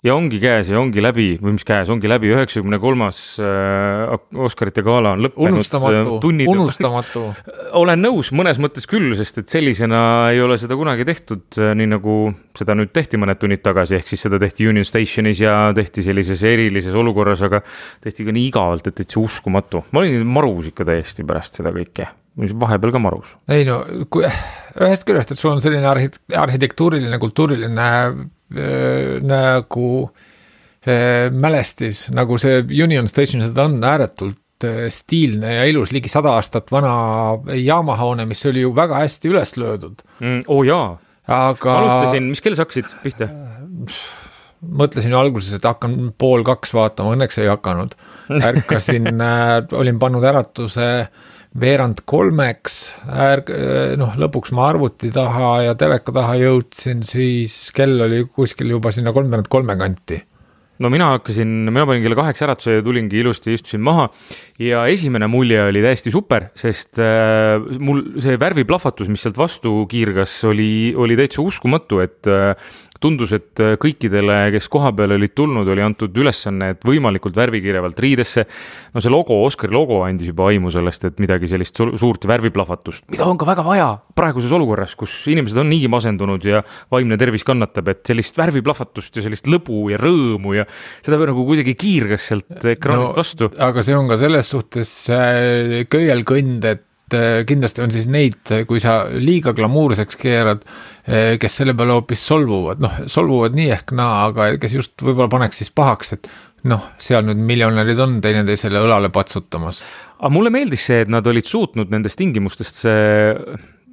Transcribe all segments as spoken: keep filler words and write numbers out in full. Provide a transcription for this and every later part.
ja ongi käes ja ongi läbi, või mis käes, ongi läbi üheksakümne kolmas äh, Oscarite gala on lõppenud. Unustamatu, tunnid, unustamatu. Olen nõus mõnes mõttes küll, sest et sellisena ei ole seda kunagi tehtud, nii nagu seda nüüd tehti mõned tunnid tagasi, ehk siis seda tehti Union Stationis ja tehti sellises erilises olukorras, aga tehti ka nii igavalt, et täitsa uskumatu. Ma olin marus ikka täiesti pärast seda kõike. Vahepeal ka marus. Ei no, kui, ühest küljest, et sul on selline arhitektuuriline, kultuuriline äh, nagu äh, mälestis, nagu see Union Station, seda on ääretult äh, stiilne ja ilus, ligi sada aastat vana jaamahoone, mis oli ju väga hästi üles löödud. Mm, oo oh, jaa. Aga... Alustasin, mis kell sa hakkasid pihta? Mõtlesin ju alguses, et hakkan pool kaks vaatama, õnneks ei hakanud. Ärkasin, äh, olin pannud äratuse veerand kolmeks, ärg, noh, lõpuks ma arvuti taha ja teleka taha jõudsin, siis kell oli kuskil juba sinna kolmveerand kolme kanti. No mina hakkasin, mina panin kella kaheks äratuse ja tulingi ilusti, istusin maha ja esimene mulje oli täiesti super, sest äh, mul see värviplahvatus, mis sealt vastu kiirgas, oli, oli täitsa uskumatu, et äh, tundus, et kõikidele, kes koha peal olid tulnud, oli antud ülesanne, et võimalikult värvikirjavalt riidesse. No see logo, Oscari logo andis juba aimu sellest, et midagi sellist suurt värviplahvatust, mida on ka väga vaja praeguses olukorras, kus inimesed on niigi masendunud ja vaimne tervis kannatab, et sellist värviplahvatust ja sellist lõbu ja rõõmu ja seda nagu kuidagi kiirgas sealt ekraanist no, vastu. Aga see on ka selles suhtes köielkõnd, et kindlasti on siis neid, kui sa liiga glamuurseks keerad, kes selle peale hoopis solvuvad, noh, solvuvad nii ehk naa, aga kes just võib-olla paneks siis pahaks, et noh, seal nüüd miljonärid on teineteisele õlale patsutamas. Aga mulle meeldis see, et nad olid suutnud nendest tingimustest see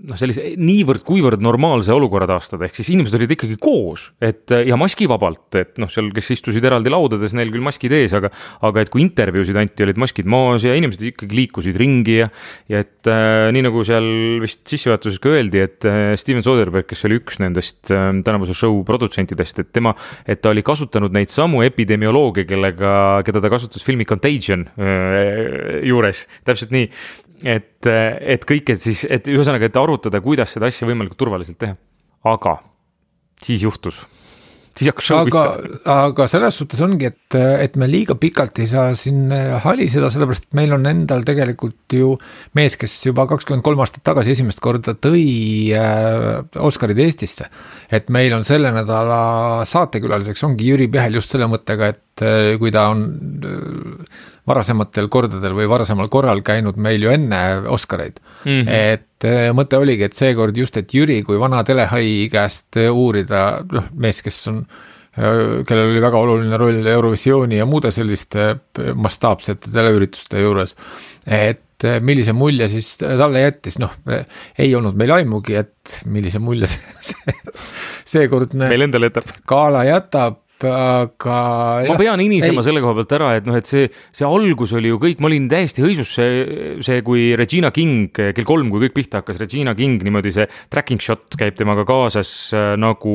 noh, sellise niivõrd kuivõrd normaalse olukorra taastada, ehk siis inimesed olid ikkagi koos, et ja maskivabalt, et noh, seal, kes istusid eraldi laudades, neil küll maskid ees, aga, aga et kui intervjuusid anti, olid maskid maas ja inimesed ikkagi liikusid ringi ja, ja et äh, nii nagu seal vist sissejuhatuses ka öeldi, et äh, Steven Soderbergh, kes oli üks nendest äh, tänavuse show produtsentidest, et tema, et ta oli kasutanud neid samu epidemioloogia, kellega, keda ta kasutas filmi Contagion äh, juures, täpselt nii, et, et kõik, et siis, et ühesõnaga, et arutada, kuidas seda asja võimalikult turvaliselt teha. Aga siis juhtus. Siis hakkas show aga, aga selles suhtes ongi, et, et me liiga pikalt ei saa siin haliseda, sellepärast, et meil on endal tegelikult ju mees, kes juba kakskümmend kolm aastat tagasi esimest korda tõi Oscarid Eestisse. Et meil on selle nädala saatekülaliseks ongi Jüri Pihel just selle mõttega, et kui ta on varasematel kordadel või varasemal korral käinud meil ju enne Oscareid. Mm-hmm. Et mõte oligi, et seekord just, et Jüri kui vana telehai käest uurida, noh, mees, kes on, kellel oli väga oluline roll Eurovisiooni ja muude selliste mastaapsete teleürituste juures, et millise mulje siis talle jättis, noh, ei olnud meil aimugi, et millise mulje see, seekordne meil endal jätab. Gala jätab, aga ma pean inisema ei. Selle koha pealt ära, et noh, et see, see algus oli ju kõik, ma olin täiesti hõisus see, see kui Regina King, kell kolm, kui kõik pihta hakkas, Regina King, niimoodi see tracking shot käib temaga kaasas nagu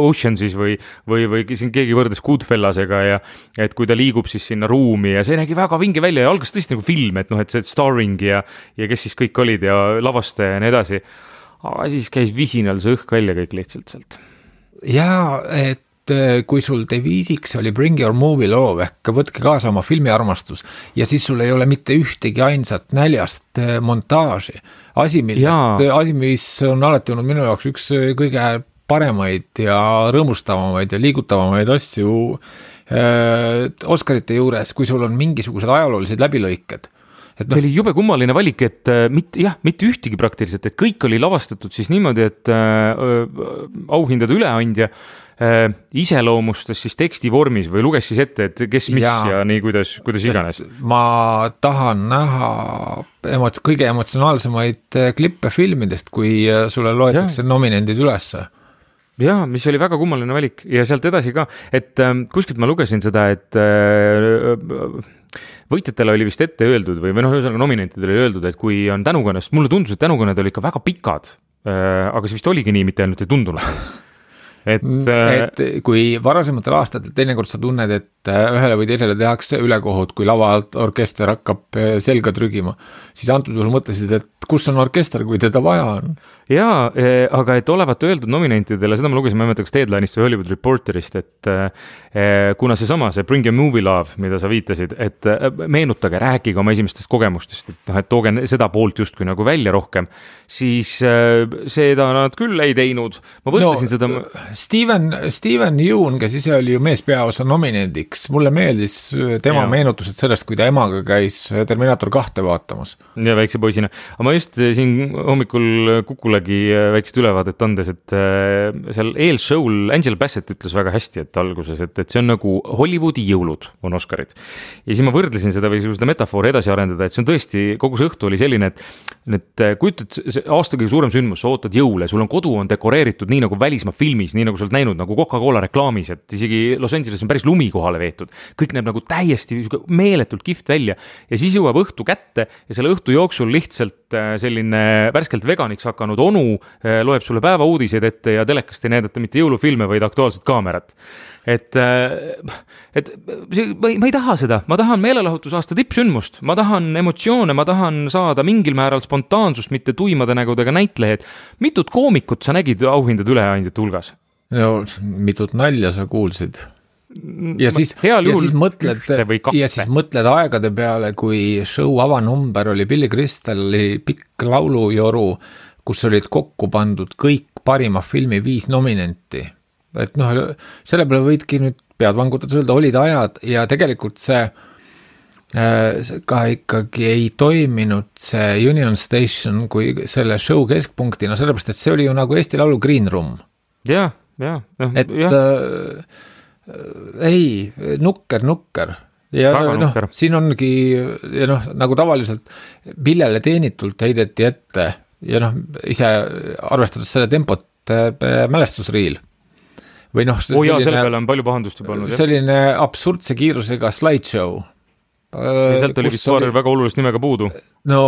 Oceansis või, või, või siin keegi võrdes Goodfellasega ja et kui ta liigub siis sinna ruumi ja see nägi väga vinge välja ja algas tõesti nagu film, et noh, et see starring ja, ja kes siis kõik olid ja lavastaja ja nii edasi. Aga siis käis visinal see õhk välja kõik lihtsalt sealt. Jaa, et kui sul deviisiks oli Bring Your Movie loov, ehk võtke kaasa oma filmiarmastus ja siis sul ei ole mitte ühtegi ainsat näljast montaaži. Asi, millest, asi, mis on alati olnud minu jaoks üks kõige paremaid ja rõõmustavamaid ja liigutavamaid asju äh, Oscarite juures, kui sul on mingisugused ajaloolised läbilõiked. Et no, see oli jube kummaline valik, et mitte, jah, mitte ühtegi praktiliselt, et kõik oli lavastatud siis niimoodi, et äh, auhindade üleandja äh, iseloomustas siis teksti vormis või luges siis ette, et kes mis ja, ja nii kuidas, kuidas iganes. Ma tahan näha emot- kõige emotsionaalsemaid klippe filmidest, kui sulle loetakse ja. Nominendid ülesse. Jaa, mis oli väga kummaline valik ja sealt edasi ka, et äh, kuskilt ma lugesin seda, et äh, võitjatele oli vist ette öeldud või, või noh, ühesõnaga nominentidele oli öeldud, et kui on tänukõnest, mulle tundus, et tänukõned oli ikka väga pikad, aga see vist oligi nii, mitte ainult ei tundunud. Et, et kui varasematel aastatel teinekord sa tunned, et ühele või teisele tehakse ülekohut, kui lava alt orkester hakkab selga trügima, siis antud juhul mõtlesid, et kus on orkester, kui teda vaja on. jaa, aga et olevat öeldud nominentidele, seda ma lugesin, ma ei mäleta, kas Deadline'ist või Hollywood Reporterist, et kuna see sama, see Bring Your Movie Love, mida sa viitasid, et meenutage, rääkige oma esimestest kogemustest, et, noh, et tooge seda poolt justkui nagu välja rohkem, siis seda nad küll ei teinud. Ma võtlesin no, seda... Steven, Steven Yeun, kes ise oli ju meespeaosa nominendiks, mulle meeldis tema ja. meenutused sellest, kui ta emaga käis Terminator kahte vaatamas. Ja väikse poisina. Aga ma just siin hommikul Kukulegi väikest ülevaadet andes, et seal eelshow'l Angela Bassett ütles väga hästi, et alguses, et, et see on nagu Hollywoodi jõulud on Oscarid. Ja siis ma võrdlesin seda või seda metafoori edasi arendada, et see on tõesti, kogu see õhtu oli selline, et, et kujutad aasta kõige suurem sündmus, sa ootad jõule, sul on kodu on dekoreeritud nii nagu välismaa filmis, nii nagu sa oled näinud nagu Coca-Cola reklaamis, et isegi Los Angeles on päris lumi kohale veetud. Kõik näeb nagu täiesti meeletult kihvt välja ja siis jõuab õhtu kätte ja selle õhtu jooksul lihtsalt selline värskelt veganiks hakanud onu loeb sulle päeva uudiseid ette ja telekast ei näidata mitte jõulufilme, vaid aktuaalset kaamerat. Et, et ma ei, ma ei taha seda, ma tahan meelelahutusaasta tippsündmust, ma tahan emotsioone, ma tahan saada mingil määral spontaansust, mitte tuimade nägudega näitlehed. Mitut koomikut sa nägid auhindade üleandjate hulgas? No, mitut nalja sa kuulsid? Ja siis, ja, siis mõtled, ja siis mõtled aegade peale, kui show avanumber oli Billy Crystali pikk laulujoru, kus olid kokku pandud kõik parima filmi viis nominenti. Et noh, selle peale võidki nüüd pead vangutades öelda, olid ajad ja tegelikult see äh, ka ikkagi ei toiminud see Union Station kui selle show keskpunktina, sellepärast, et see oli ju nagu Eesti Laulu Green Room. Ja, ja. Et ja. Äh, ei, nukker, nukker ja Väga noh, nukker. Siin ongi ja noh, nagu tavaliselt Pillele teenitult heideti ette ja noh, ise arvestades selle tempot mälestusriil või noh, oh, jaa, selle peale on palju pahandust juba olnud, selline jah? Absurdse kiirusega slideshow. Ja sealt oli vist oli... väga olulist nimega puudu. No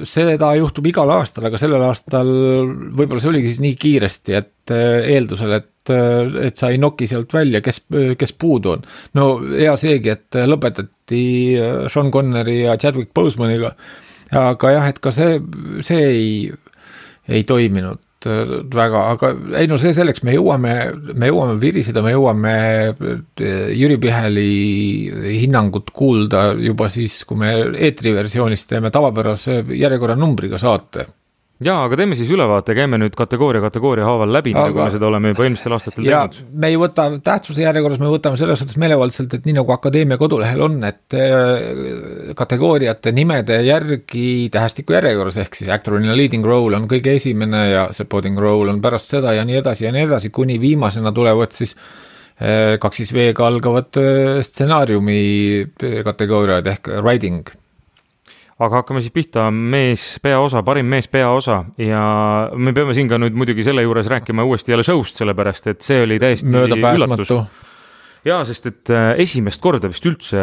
seda juhtub igal aastal, aga sellel aastal võib-olla see oligi siis nii kiiresti, et eeldusel, et, et sa ei noki sealt välja, kes, kes puudu on. No hea seegi, et lõpetati Sean Connery ja Chadwick Bosemaniga, aga jah, et ka see, see ei, ei toiminud väga, aga ei no see selleks, me jõuame, me jõuame viriseda, me jõuame Jüri Piheli hinnangut kuulda juba siis, kui me eetriversioonis teeme tavapärase järjekorra numbriga saate. Jaa, aga teeme siis ülevaate, käime nüüd kategooria kategooria haaval läbi, aga, nagu me seda oleme juba eelmistel aastatel ja teinud. Me ei võta tähtsuse järjekorras, me võtame selles suhtes meelevaldselt, et nii nagu Akadeemia kodulehel on, et kategooriate nimede järgi tähestiku järjekorras, ehk siis actor in a leading role on kõige esimene ja supporting role on pärast seda ja nii edasi ja nii edasi, kuni viimasena tulevad siis kaks siis V-ga algavad stsenaariumi kategooriad ehk writing. Aga hakkame siis pihta mees peaosa, parim mees peaosa ja me peame siin ka nüüd muidugi selle juures rääkima uuesti jälle showst, sellepärast et see oli täiesti üllatus. Jaa, sest et esimest korda vist üldse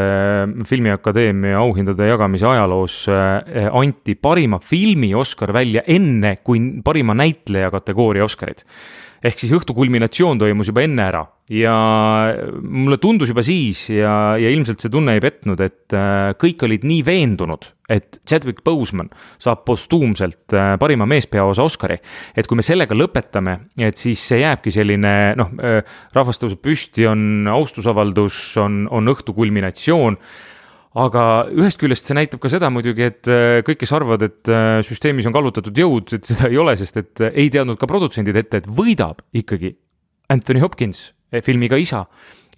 Filmiakadeemia auhindade jagamise ajaloos anti parima filmi Oscar välja enne kui parima näitleja kategooria Oscarid. Ehk siis õhtu kulminatsioon toimus juba enne ära ja mulle tundus juba siis ja, ja ilmselt see tunne ei petnud, et kõik olid nii veendunud, et Chadwick Boseman saab postuumselt parima meespeaosa Oscari, et kui me sellega lõpetame, et siis see jääbki selline, noh, rahvas tõuseb püsti, on austusavaldus, on, on õhtu kulminatsioon, aga ühest küljest see näitab ka seda muidugi, et kõik, kes arvavad, et süsteemis on kallutatud jõud, et seda ei ole, sest et ei teadnud ka produtsendid ette, et võidab ikkagi Anthony Hopkins filmiga Isa.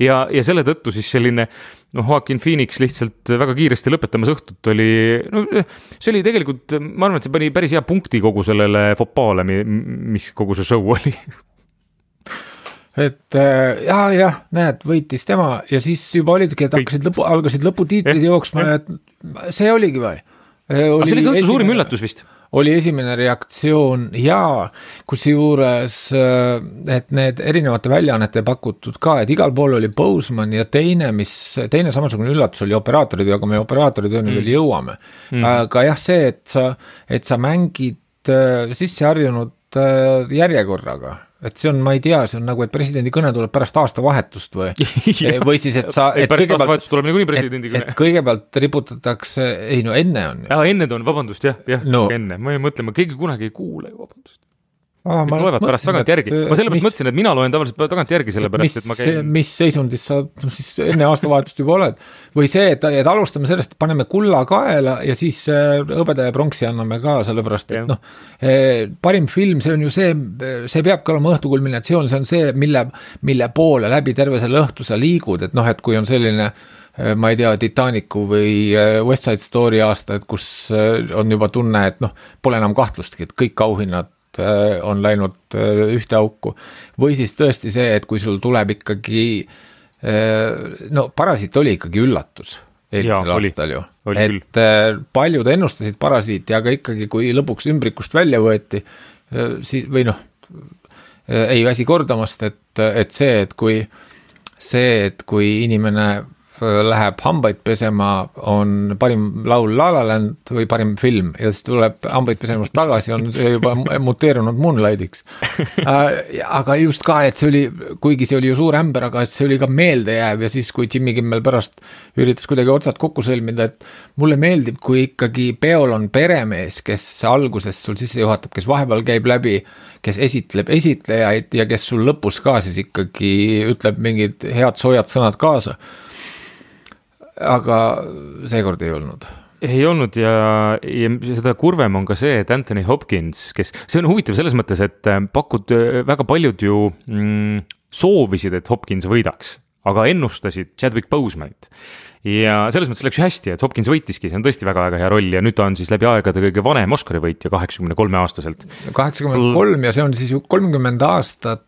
Ja, ja selle tõttu siis selline, noh, Joaquin Phoenix lihtsalt väga kiiresti lõpetamas õhtut oli, no see oli tegelikult, ma arvan, et see pani päris hea punkti kogu sellele fopaale, mis kogu see show oli. Et jah, jah, näed, võitis tema ja siis juba olidki, et hakkasid lõpu, algasid lõputiitrid eh, jooksma ja see oligi või? Oli see oli kõhtu suurim üllatus vist? Oli esimene reaktsioon ja kus juures, et need erinevate väljaannete pakutud ka, et igal pool oli Boseman ja teine, mis, teine samasugune üllatus oli operaatorid, aga me operaatorid on mm. veel jõuame. Mm. Aga jah, see, et sa, et sa mängid sisse harjunud järjekorraga, et see on, ma ei tea, see on nagu, et presidendi kõne tuleb pärast aastavahetust või, või siis, et sa, et pärast aastavahetust tuleb niikuinii presidendi kõne. Et, et kõigepealt riputatakse, ei no enne on. Ja enne on, vabandust, jah, jah, no. enne, ma ei mõtle, ma keegi kunagi ei kuule, vabandust. Ah, ma loevad pärast tagant järgi. Ma sellepärast mis, mõtlesin, et mina loen tavaliselt tagant järgi sellepärast, mis, et ma käin... Mis seisundis sa siis enne aastavahetust juba oled? Või see, et, et alustame sellest, et paneme kulla kaela ja siis hõbeda ja pronksi anname ka, sellepärast, et noh, parim film, see on ju see, see peabki olema õhtukulminatsioon, see on see, mille, mille poole läbi terve selle õhtu sa liigud, et noh, et kui on selline ma ei tea, Titanicu või West Side Story aasta, et kus on juba tunne, et noh, pole enam kahtlustki, et kõik auhinnad on läinud ühte auku. Või siis tõesti see, et kui sul tuleb ikkagi, no Parasiit oli ikkagi üllatus eelmisel aastal ju. Oli et küll. Paljud ennustasid Parasiiti, aga ikkagi kui lõpuks ümbrikust välja võeti, või noh, ei väsi kordamast, et, et see, et kui see, et kui inimene läheb hambaid pesema, on parim laul La La Land või parim film ja siis tuleb hambaid pesemast tagasi, on see juba muteerunud Moonlightiks. Aga just ka, et see oli, kuigi see oli ju suur ämber, aga see oli ka meeldejääv ja siis, kui Jimmy Kimmel pärast üritas kuidagi otsad kokku sõlmida, et mulle meeldib, kui ikkagi peol on peremees, kes alguses sul sisse juhatab, kes vahepeal käib läbi, kes esitleb esitlejaid ja kes sul lõpus ka siis ikkagi ütleb mingid head soojad sõnad kaasa. Aga seekord ei olnud. Ei olnud ja, ja seda kurvem on ka see, et Anthony Hopkins, kes, see on huvitav selles mõttes, et pakud väga paljud ju mm, soovisid, et Hopkins võidaks, aga ennustasid Chadwick Bosemanit. Ja selles mõttes läks ju hästi, et Hopkins võitiski, see on tõesti väga-väga hea roll ja nüüd ta on siis läbi aegade kõige vanem Oscari võitja kaheksakümne kolme aastaselt. kaheksakümmend kolm ja see on siis ju kolmkümmend aastat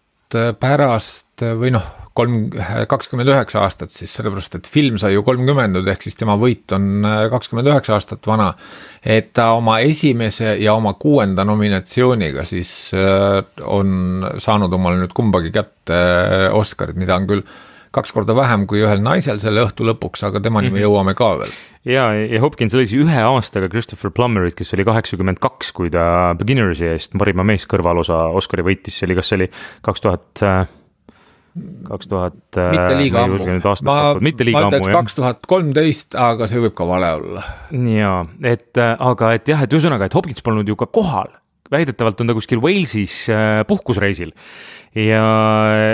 pärast või noh, kolm, kakskümmend üheksa aastat siis, sellepärast, et film sai ju kolmkümmend, ehk siis tema võit on kakskümmend üheksa aastat vana, et ta oma esimese ja oma kuuenda nominatsiooniga siis on saanud omale nüüd kumbagi kätte Oscarid, mida on küll kaks korda vähem kui ühel naisel selle õhtu lõpuks, aga temani me jõuame ka veel. Ja, ja Hopkins oli ühe aastaga Christopher Plummerit, kes oli kaheksakümmend kaks, kui ta Beginnersi eest parima mees kõrvalosa Oscari võitis, see oli, kas see oli kaks tuhat kaks tuhat mitte liiga ammu, ma, mitte liiga ma ütleks kaks tuhat kolmteist, aga see võib ka vale olla. Jaa, et aga et jah, et ühesõnaga, et Hopkins polnud ju ka kohal, väidetavalt on ta kuskil Walesis puhkusreisil ja,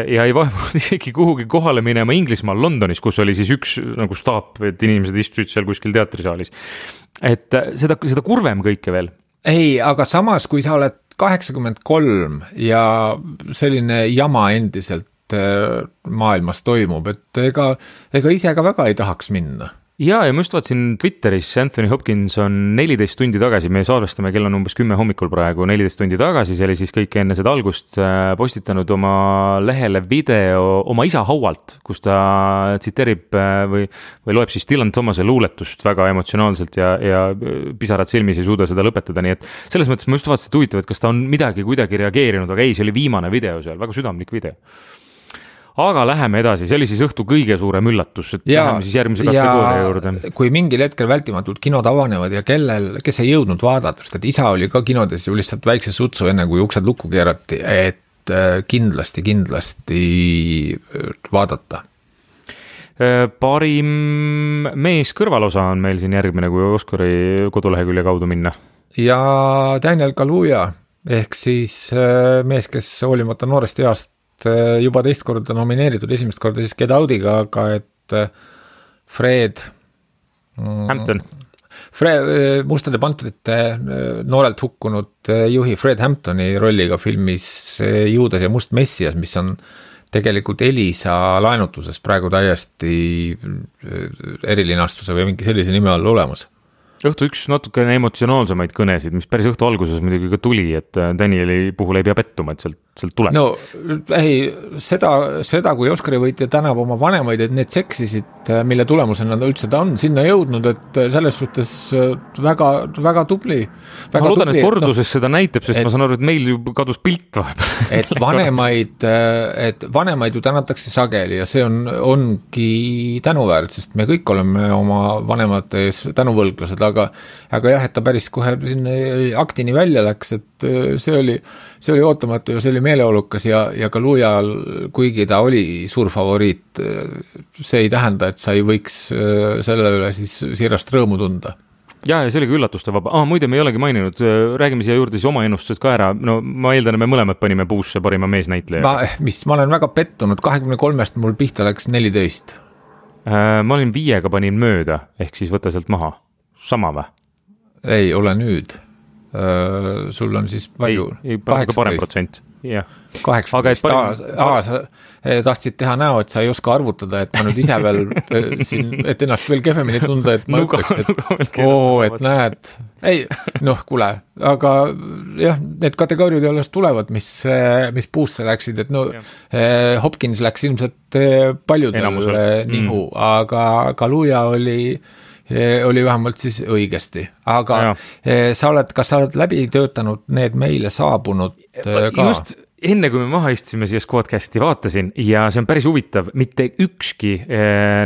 ja ei vaevunud isegi kuhugi kohale minema Inglismaal Londonis, kus oli siis üks nagu staap, et inimesed istusid seal kuskil teatrisaalis, et seda, seda kurvem kõike veel. Ei, aga samas, kui sa oled kaheksakümmend kolm ja selline jama endiselt maailmas toimub, et ega, ega ise ka väga ei tahaks minna. Ja, ja ma just vaatsin Twitteris, Anthony Hopkins on neliteist tundi tagasi, me salvestame, kell on umbes kümme hommikul praegu, neliteist tundi tagasi, see oli siis kõik enne seda algust postitanud oma lehele video oma isa haualt, kus ta tsiteerib või, või loeb siis Dylan Thomase luuletust väga emotsionaalselt ja, ja pisarad silmis ei suuda seda lõpetada, nii et selles mõttes ma just vaatasin, et huvitav, et kas ta on midagi kuidagi reageerinud, aga ei, see oli viimane video seal, väga südamlik video. Aga läheme edasi, see oli siis õhtu kõige suurem üllatus, et ja, läheme siis järgmise kategooria juurde. Kui mingil hetkel vältimatult kinod avanevad ja kellel, kes ei jõudnud vaadata, sest et isa oli ka kinodes ju lihtsalt väikse sutsu enne, kui uksed lukku keerati, et kindlasti, kindlasti vaadata. Parim mees kõrvalosa on meil siin järgmine, kui Oscari kodulehekülje kaudu minna. Ja Daniel Kaluuya, ehk siis mees, kes hoolimata noorest east juba teist korda nomineeritud, esimest korda siis Get Out'iga, aga et Fred Hampton Fred, Mustade pantrite noorelt hukkunud juhi Fred Hamptoni rolliga filmis Juudas ja Must Messias, mis on tegelikult Elisa laenutuses praegu täiesti erilinastuse või mingi sellise nime all olemas. Õhtu üks natukene emotsionaalsemaid kõnesid, mis päris õhtu alguses muidugi ka tuli, et Danieli puhul ei pea pettuma, et sealt, sealt tuleb. No ei, seda, seda kui Oscari võitja tänab oma vanemaid, et need seksisid, mille tulemusena ta üldse ta on sinna jõudnud, et selles suhtes väga, väga tubli. Väga ma loodan, tubli, et korduses no, seda näitab, sest et, ma saan aru, et meil ju kadus pilt vahepeal. Et vanemaid, et vanemaid ju tänatakse sageli ja see on, ongi tänuväärt, sest me kõik oleme oma vanemate ees tänuvõlglased, aga, aga jah, et ta päris kohe sinna aktini välja läks, et see oli, see oli ootamatu ja see oli meeleolukas ja, ja ka Luujal, kuigi ta oli suur favoriit, see ei tähenda, et sa ei võiks selle üle siis siirast rõõmu tunda. ja, ja see oli ka üllatuste vaba. Ah, muide, me ei olegi maininud, räägime siia juurde siis oma ennustused ka ära. No ma eeldan, me mõlemad panime puusse parima meesnäitleja. Ma, mis, ma olen väga pettunud, kahekümne kolmest mul pihta läks neliteist. Äh, ma olin viiega panin mööda, ehk siis võta sealt maha. Sama või? Ei, ole nüüd. Äh, sul on siis palju? Ei, ei parem protsent. jah. kaheksateist, aa, sa tahtsid teha näo, et sa ei oska arvutada, et ma nüüd ise veel siin, et ennast veel kehvemini tunda, et ma ütleks, et oo, et näed, ei, noh, kuule, aga jah, need kategooriad alles tulevad, mis, mis puusse läksid, et no eh, Hopkins läks ilmselt paljudel nihu, mm. aga Kaluuja oli oli vähemalt siis õigesti, aga ja. sa oled, kas sa oled läbi töötanud need meile saabunud ka? Just enne, kui me maha istusime siia Squadcasti vaatasin ja see on päris huvitav, mitte ükski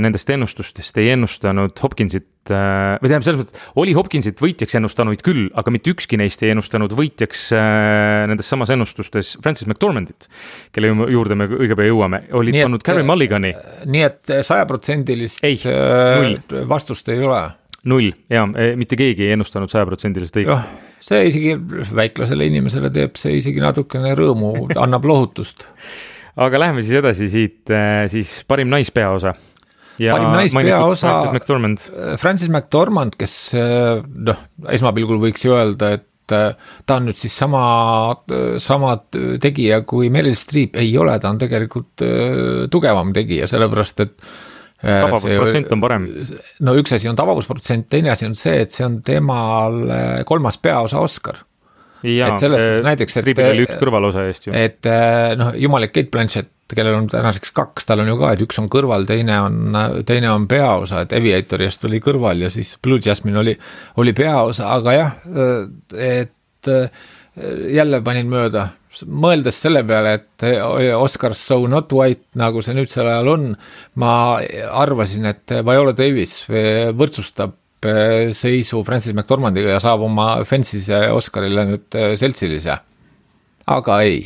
nendest ennustustest ei ennustanud Hopkinsit, või tähendab selles mõttes, oli Hopkinsit võitjaks ennustanuid küll, aga mitte ükski neist ei ennustanud võitjaks nendes samas ennustustes Francis McDormandit, kelle juurde me õige pea jõuame, olid pannud Carey Mulligani. Nii et sajaprotsendilist vastust ei ole. Null, jaa, mitte keegi ei ennustanud sajaprotsendilist õige. See isegi väiklasele inimesele teeb see isegi natukene rõõmu, annab lohutust. Aga läheme siis edasi siit, siis parim naispeaosa. Ja parim naispeaosa Francis McDormand. Francis McDormand, kes noh, esmapilgul võiks ju öelda, et ta on nüüd siis sama, sama tegija kui Meryl Streep, ei ole, ta on tegelikult tugevam tegija, sellepärast et tabavusprotsent on parem. No üks asi on tabavusprotsent, teine asi on see, et see on temal kolmas peaosa Oscar. Ja, et selles äh, näiteks, et, oli üks kõrvalosa eest ju. Et noh, jumalik Kate Blanchett, kellel on tänaseks kaks, tal on ju ka, et üks on kõrval, teine on, teine on peaosa, et Aviatorist oli kõrval ja siis Blue Jasmine oli, oli peaosa, aga jah, et jälle panin mööda, mõeldes selle peale, et Oscars So Not White, nagu see nüüd sel ajal on, ma arvasin, et Viola Davis võrdsustab seisu Francis McDormandiga ja saab oma Fence'ise Oscarile nüüd seltsilise. Aga ei.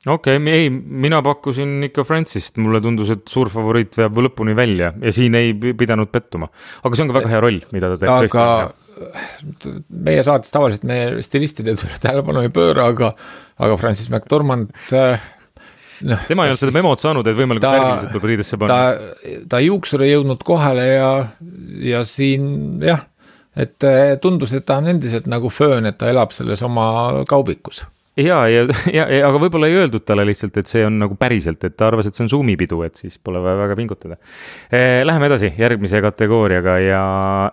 Okei, okay, ei, mina pakkusin ikka Francist, mulle tundus, et suur favoriit veab lõpuni välja ja siin ei pidanud pettuma. Aga see on ka väga hea roll, mida ta teeb. Aga meie saates tavaliselt me stilistide tähelepanu ei pööra, aga, aga Francis McDormand no, tema ei ole seda memot saanud, et võimalikult värgiliselt tuleb riidesse panna. Ta, ta juuksur ei jõudnud kohale ja, ja siin jah, et tundus, et ta on endiselt nagu föön, et ta elab selles oma kaubikus. Ja, ja, ja, ja, aga võib-olla ei öeldud talle lihtsalt, et see on nagu päriselt, et ta arvas, et see on Zoomi-pidu, et siis pole väga pingutada. Läheme edasi järgmise kategooriaga ja,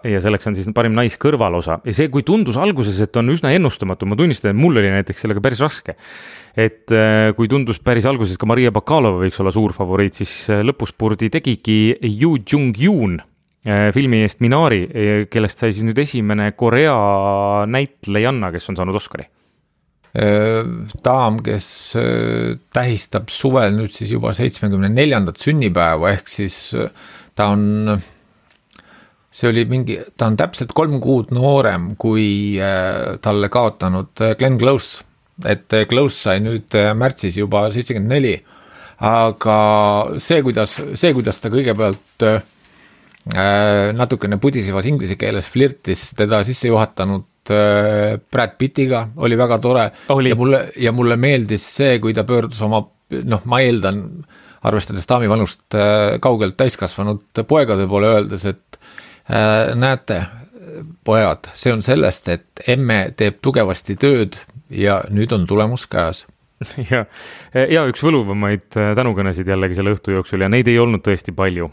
ja selleks on siis parim naiskõrvalosa. Ja see, kui tundus alguses, et on üsna ennustamatu, ma tunnistan, et mul oli näiteks sellega päris raske. Et kui tundus päris alguses ka Maria Bakalova võiks olla suur favoriit, siis lõpuspurdi tegigi Yu Jung-Yoon filmi eest Minari, kellest sai siis nüüd esimene Korea näitlejanna, kes on saanud Oscari. Daam, kes tähistab suvel nüüd siis juba seitsmekümne neljandat sünnipäeva, ehk siis ta on, see oli mingi, ta on täpselt kolm kuud noorem kui talle kaotanud Glenn Close, et Close sai nüüd märtsis juba seitsekümmend neli, aga see, kuidas, see, kuidas ta kõigepealt natukene pudisivas inglise keeles flirtis teda sisse juhatanud Brad Pittiga, oli väga tore oli. ja mulle, ja mulle meeldis see, kui ta pöördus oma, noh, ma eeldan, arvestades daami vanust kaugelt täiskasvanud poegade poole öeldes, et äh, näete, pojad, see on sellest, et emme teeb tugevasti tööd ja nüüd on tulemus käes. Ja, ja üks võluvamaid tänukõnesid jällegi selle õhtu jooksul ja neid ei olnud tõesti palju.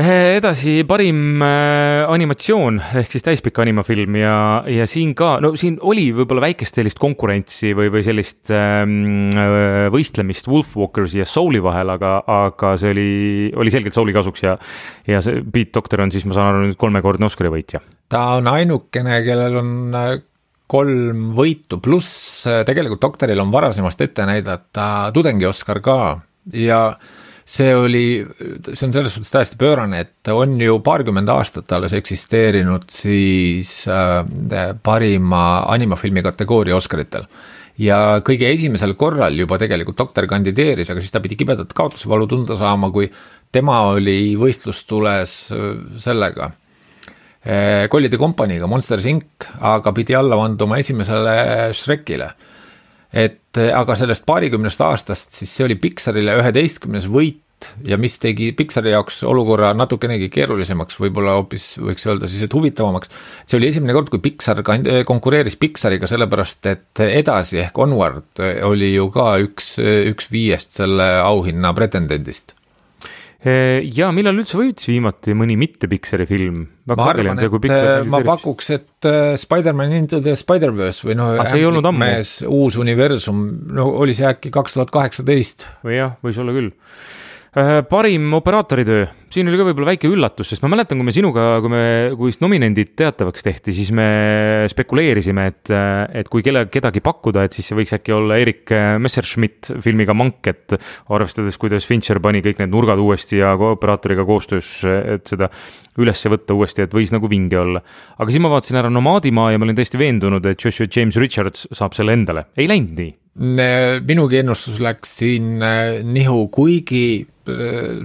Edasi parim äh, animatsioon ehk siis täispikka animafilm ja, ja siin ka, no siin oli võib-olla väikest sellist konkurentsi või, või sellist ähm, võistlemist Wolfwalkers ja Souli vahel, aga, aga see oli, oli selgelt Souli kasuks ja, ja see Pete Docter on siis, ma saan aru, nüüd kolmekordne Oscari võitja. Ta on ainukene, kellel on kolm võitu, pluss tegelikult Doctoril on varasemast ette näidata tudengi Oscar ka ja see oli, see on selles suhtes täiesti pöörane, et on ju paarkümmend aastat alles eksisteerinud siis äh, parima animafilmi kategooria Oscaritel. Ja kõige esimesel korral juba tegelikult Doktor kandideeris, aga siis ta pidi kibedat kaotusvalu tunda saama, kui tema oli võistlustules sellega Kollide kompaniiga, Monsters Incorporated, aga pidi alla vanduma esimesele Shrekile. Et aga sellest paarikümnest aastast, siis see oli Pixarile üheteistkümnes võit ja mis tegi Pixari jaoks olukorra natukenegi keerulisemaks, võib-olla hoopis võiks öelda siis, et huvitavamaks. See oli esimene kord, kui Pixar konkureeris Pixariga, sellepärast et edasi ehk Onward oli ju ka üks, üks viiest selle auhinna pretendendist. Ja millal üldse võitis viimati mõni mitte Pixari film? Ma arvan, et ma pakuks, et Spider-Man Into the Spider-Verse või noh, mees uus universum, no oli see äkki kaks tuhat kaheksateist. Või jah, võis olla küll. Parim operaatoritöö, siin oli ka võib-olla väike üllatus, sest ma mäletan, kui me sinuga, kui me, kui nominendid teatavaks tehti, siis me spekuleerisime, et, et kui kelle, kedagi pakkuda, et siis see võiks äkki olla Erik Messerschmidt filmiga Mank, et arvestades, kuidas Fincher pani kõik need nurgad uuesti ja operaatoriga koostöös, et seda ülesse võtta uuesti, et võis nagu vinge olla. Aga siis ma vaatasin ära Nomaadimaa ja ma olin täiesti veendunud, et Joshua James Richards saab selle endale. Ei läinud nii. Minugi ennustus läks siin nihu, kuigi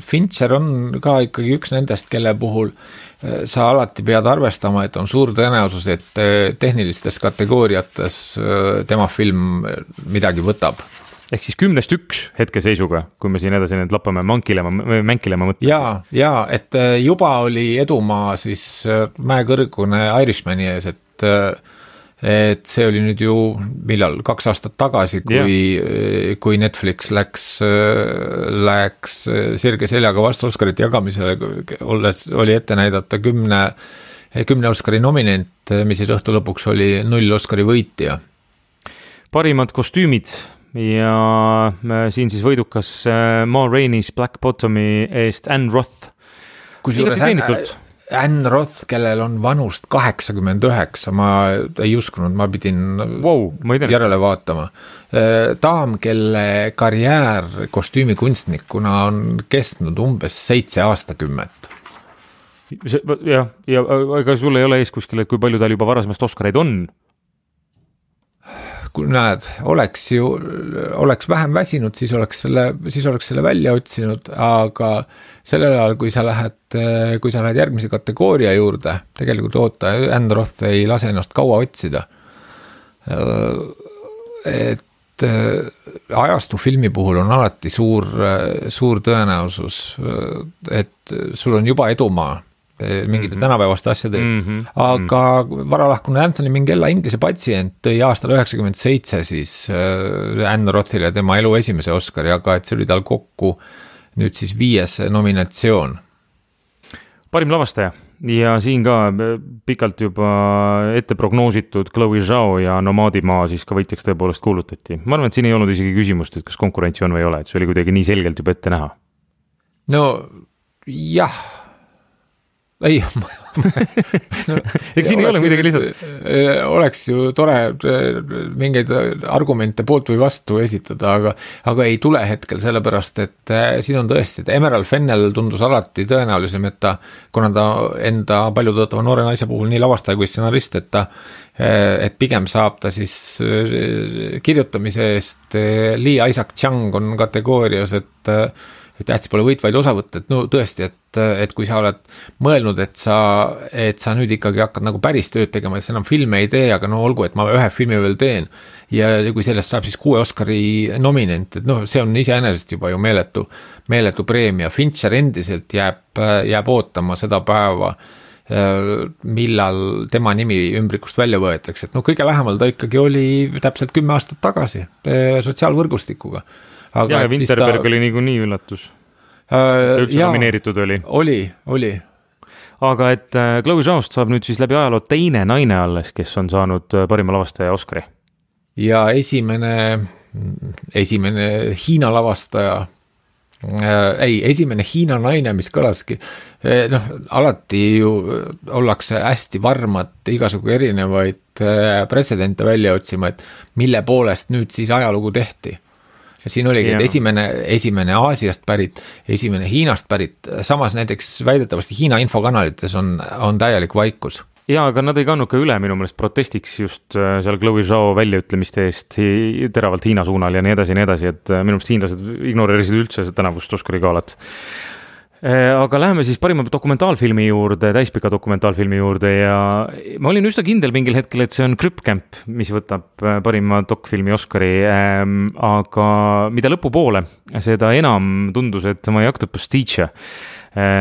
Fincher on ka ikkagi üks nendest, kelle puhul sa alati pead arvestama, et on suur tõenäosus, et tehnilistes kategooriates tema film midagi võtab. Ehk siis kümnest üks hetkeseisuga, kui me siin edasi need lappame mankilema, mänkilema mõtlema. Jaa, jaa, et juba oli edumaa siis mäekõrgune Irishmani ees, et et see oli nüüd ju millal, kaks aastat tagasi, kui, yeah. kui Netflix läks, läks sirge seljaga vastu Oscarite jagamisele, olles, oli ette näidata kümne, kümne Oscari nominent, mis siis õhtu lõpuks oli null Oscari võitja. Parimad kostüümid ja siin siis võidukas Ma Rainey's Black Bottomi eest Anne Roth. Kusjuures Anne, Anne Roth, kellel on vanust kaheksakümmend üheksa, ma ei uskunud, ma pidin wow, ma järele vaatama. Daam, kelle karjäär kostüümikunstnikuna on kestnud umbes seitse aastakümmet. Jah, ja ega sul ei ole ees kuskil, et kui palju tal juba varasemast Oscareid on? Kui näed, oleks ju, oleks vähem väsinud, siis oleks selle, siis oleks selle välja otsinud, aga sellel ajal, kui sa lähed, kui sa lähed järgmise kategooria juurde, tegelikult oota, Anne Roth ei lase ennast kaua otsida. Et ajastu filmi puhul on alati suur, suur tõenäosus, et sul on juba edumaa mingite mm-hmm. tänapäevaste asjade ees. Mm-hmm. Aga varalahkune Anthony Minghella Inglise patsient tõi aastal üheksakümmend seitse siis Anne Rothile tema elu esimese Oscari, aga et see oli tal kokku nüüd siis viies nominatsioon. Parim lavastaja ja siin ka pikalt juba ette prognoositud Chloe Zhao ja Nomaadimaa siis ka võitjaks tõepoolest kuulutati. Ma arvan, et siin ei olnud isegi küsimust, et kas konkurentsi on või ei ole, et see oli kuidagi nii selgelt juba ette näha. No jah, ei, no, eks siin ei ole midagi lihtsalt. Oleks ju tore mingeid argumente poolt või vastu esitada, aga, aga ei tule hetkel sellepärast, et siin on tõesti, et Emerald Fennell tundus alati tõenäolisem, et ta, kuna ta enda palju tõotava noore naise puhul nii lavastaja kui stsenarist, et ta et pigem saab ta siis kirjutamise eest. Lee Isaac Chung on kategoorias, et et tähtis pole võitvaid osavõtt, et no tõesti, et, et kui sa oled mõelnud, et sa, et sa nüüd ikkagi hakkad nagu päris tööd tegema, et sa enam filme ei tee, aga no olgu, et ma ühe filmi veel teen ja kui sellest saab siis kuue Oscari nominent, et noh, see on iseenesest juba ju meeletu, meeletu preemia. Fincher endiselt jääb, jääb ootama seda päeva, millal tema nimi ümbrikust välja võetakse, et no kõige lähemal ta ikkagi oli täpselt kümme aastat tagasi sotsiaalvõrgustikuga. Aga ja Winterberg ta... oli nii, nii üllatus. Uh, üldse jaa, nomineeritud oli. Oli, oli. Aga et Chloe Zhaost saab nüüd siis läbi ajaloo teine naine alles, kes on saanud parima lavastaja Oscari. Ja esimene, esimene Hiina lavastaja, äh, ei, esimene Hiina naine, mis kõlaski, eh, noh, alati ju ollakse hästi varmad igasugu erinevaid äh, pretsedente välja otsima, et mille poolest nüüd siis ajalugu tehti. Ja siin oligi, et esimene, esimene Aasiast pärit, esimene Hiinast pärit, samas näiteks väidetavasti Hiina infokanalites on, on täielik vaikus. Ja, aga nad ei kannud ka üle minu meelest protestiks just seal Chloe Zhao väljaütlemiste eest teravalt Hiina suunal ja nii edasi ja nii edasi, et minu meelest hiinlased ignoreerisid üldse tänavust Oscari galat. Aga läheme siis parima dokumentaalfilmi juurde, täispika dokumentaalfilmi juurde ja ma olin üsna kindel mingil hetkel, et see on Krüppkämp, mis võtab parima dokfilmi Oscari, aga mida lõpupoole, seda enam tundus, et My Octopus Teacher,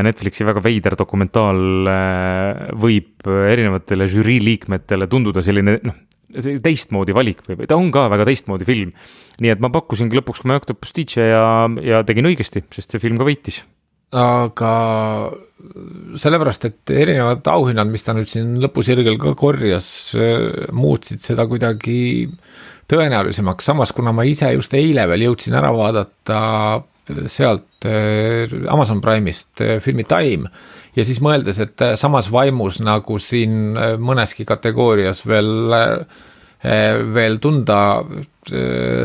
Netflixi väga veider dokumentaal võib erinevatele žürii liikmetele tunduda selline noh, teistmoodi valik või ta on ka väga teistmoodi film. Nii et ma pakkusingi lõpuks My Octopus Teacher ja, ja tegin õigesti, sest see film ka võitis. Aga sellepärast, et erinevad auhinnad, mis ta nüüd siin lõpusirgel ka korjas, muutsid seda kuidagi tõenäolisemaks. Samas, kuna ma ise just eile veel jõudsin ära vaadata sealt Amazon Prime'ist filmi Time ja siis mõeldes, et samas vaimus nagu siin mõneski kategoorias veel, veel tunda,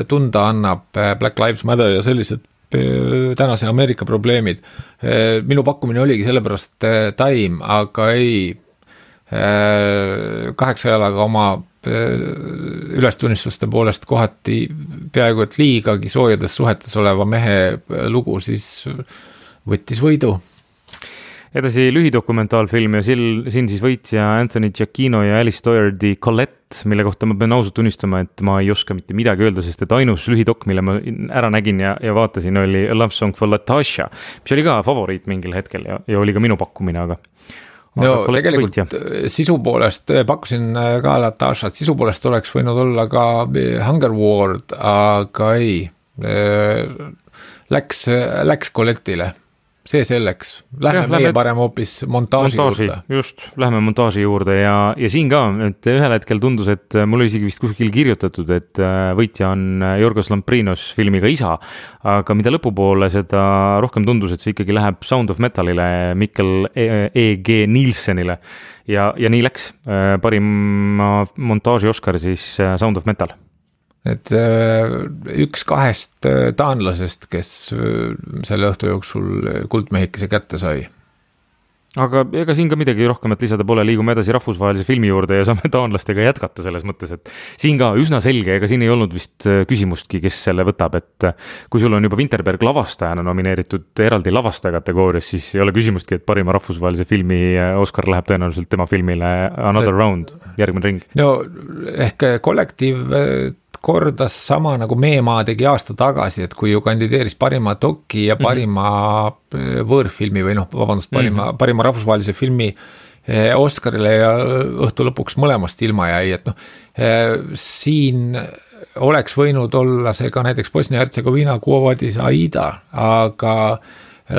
tunda annab Black Lives Matter ja sellised tänase Ameerika probleemid. Minu pakkumine oligi sellepärast Time, aga ei kaheksa jalaga oma ülestunnistuste poolest kohati peaaegu et liigagi soojades suhetes oleva mehe lugu, siis võttis võidu. Edasi lühidokumentaalfilm ja sil, siin siis võitja Anthony Giacchino ja Alice Doherty Colette, mille kohta ma pean ausalt tunnistama, et ma ei oska mitte midagi öelda, sest et ainus lühidok, mille ma ära nägin ja, ja vaatasin, oli A Love Song for Latasha, mis oli ka favoriit mingil hetkel ja, ja oli ka minu pakkumine, aga no Colette tegelikult võitja. Sisu poolest pakkusin ka Latashat, sisu poolest oleks võinud olla ka Hunger Ward, aga ei, läks, läks Colette'ile. See selleks. Lähme ja, meie lähme parem hoopis montaaži, montaaži juurde. Just, lähme montaaži juurde ja, ja siin ka, et ühel hetkel tundus, et mul oli isegi vist kuskil kirjutatud, et võitja on Jorgos Lamprinos filmiga Isa, aga mida lõpupoole seda rohkem tundus, et see ikkagi läheb Sound of Metalile, Mikkel E G Nielsenile ja, ja nii läks. Parima montaaži Oscar siis Sound of Metal. Et üks kahest taanlasest, kes selle õhtu jooksul kuldmehikese kätte sai. Aga ega siin ka midagi rohkemat lisada pole, liigume edasi rahvusvahelise filmi juurde ja saame taanlastega jätkata selles mõttes, et siin ka üsna selge, ega siin ei olnud vist küsimustki, kes selle võtab, et kui sul on juba Winterberg lavastajana nomineeritud eraldi lavastaja kategoorias, siis ei ole küsimustki, et parima rahvusvahelise filmi Oscar läheb tõenäoliselt tema filmile Another Round, järgmine ring. No ehk kollektiiv kordas sama nagu Meemaa tegi aasta tagasi, et kui ju kandideeris parima doki ja parima mm-hmm. võõrfilmi või noh, vabandust, parima, mm-hmm. parima rahvusvahelise filmi Oscarile ja õhtu lõpuks mõlemast ilma jäi, et noh, siin oleks võinud olla see ka näiteks Bosnia-Hertsegoviina Kuovadis Aida, aga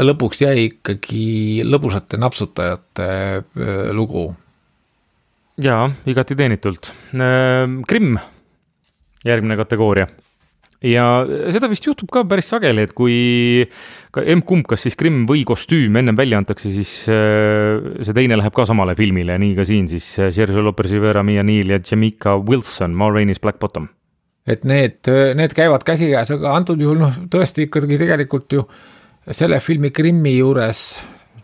lõpuks jäi ikkagi lõbusate napsutajate lugu. Jaa, igati teenitult. Grimm. Järgmine kategooria. Ja seda vist juhtub ka päris sageli, et kui M-kumb, kas siis Grimm või kostüüm ennem välja antakse, siis see teine läheb ka samale filmile, nii ka siin siis Sergio Lopez-Rivera, Mia Neal ja Jamaica Wilson, Ma Rainey's Black Bottom. Et need, need käivad käsikäes, aga antud juhul noh, tõesti ikkagi tegelikult ju selle filmi Grimmi juures,